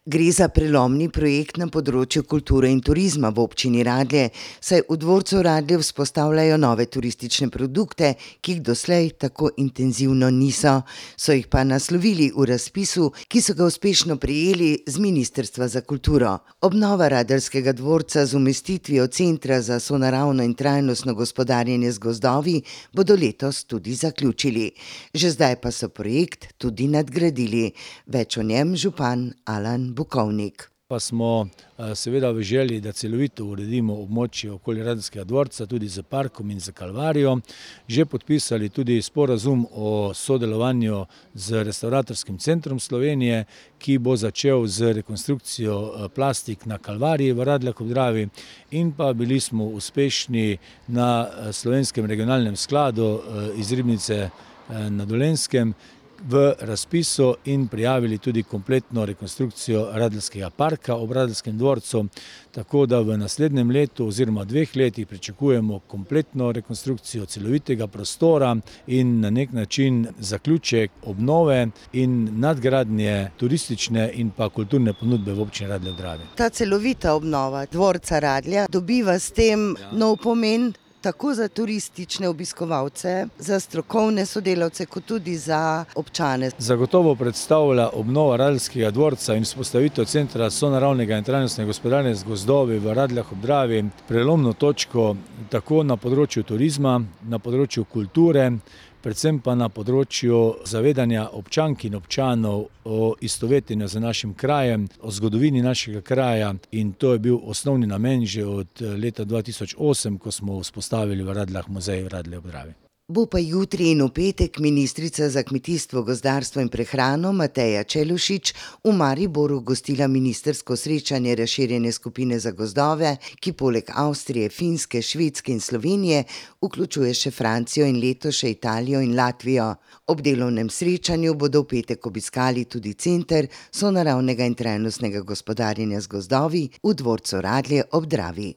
Gre za prelomni projekt na področju kulture in turizma v občini Radlje, saj v dvorcu Radlje vzpostavljajo nove turistične produkte, ki jih doslej tako intenzivno niso. So jih pa naslovili v razpisu, ki so ga uspešno prejeli z Ministrstva za kulturo. Obnova radeljskega dvorca z umestitvijo Centra za sonaravno in trajnostno gospodarjenje z gozdovi bodo letos tudi zaključili. Že zdaj pa so projekt tudi nadgradili. Več o njem župan Alan Bukovnik. Pa smo seveda v želji, da celovito uredimo območje okoli Radeljskega dvorca, tudi z parkom in z Kalvarijo, že podpisali tudi sporazum o sodelovanju z Restavratorskim centrom Slovenije, ki bo začel z rekonstrukcijo plastik na Kalvariji v Radljah ob Dravi, in pa bili smo uspešni na Slovenskem regionalnem skladu iz Ribnice na Dolenjskem v razpisu in prijavili tudi kompletno rekonstrukcijo Radeljskega parka ob Radeljskem dvorcu, tako da v naslednjem letu oziroma 2 letih pričakujemo kompletno rekonstrukcijo celovitega prostora in na nek način zaključek obnove in nadgradnje turistične in pa kulturne ponudbe v občini Radlje ob Dravi. Ta celovita obnova dvorca Radlja dobiva s tem nov pomen, tako za turistične obiskovalce, za strokovne sodelavce, kot tudi za občane. Zagotovo predstavlja obnova Radeljskega dvorca in vzpostavitev Centra sonaravnega in trajnostnega gospodarjenja z gozdovi v Radljah ob Dravi prelomno točko tako na področju turizma, na področju kulture, predvsem pa na področju zavedanja občank in občanov o istovetenju z našim krajem, o zgodovini našega kraja, in to je bil osnovni namen že od leta 2008, ko smo vzpostavili v Radljah muzej v Radljah ob Dravi. Bo pa jutri in v petek ministrica za kmetijstvo, gozdarstvo in prehrano Mateja Čelušić v Mariboru gostila ministrsko srečanje razširjene skupine za gozdove, ki poleg Avstrije, Finske, Švedske in Slovenije vključuje še Francijo in letos še Italijo in Latvijo. Ob delovnem srečanju bodo v petek obiskali tudi Center sonaravnega in trajnostnega gospodarjenja z gozdovi v dvorcu Radlje ob Dravi.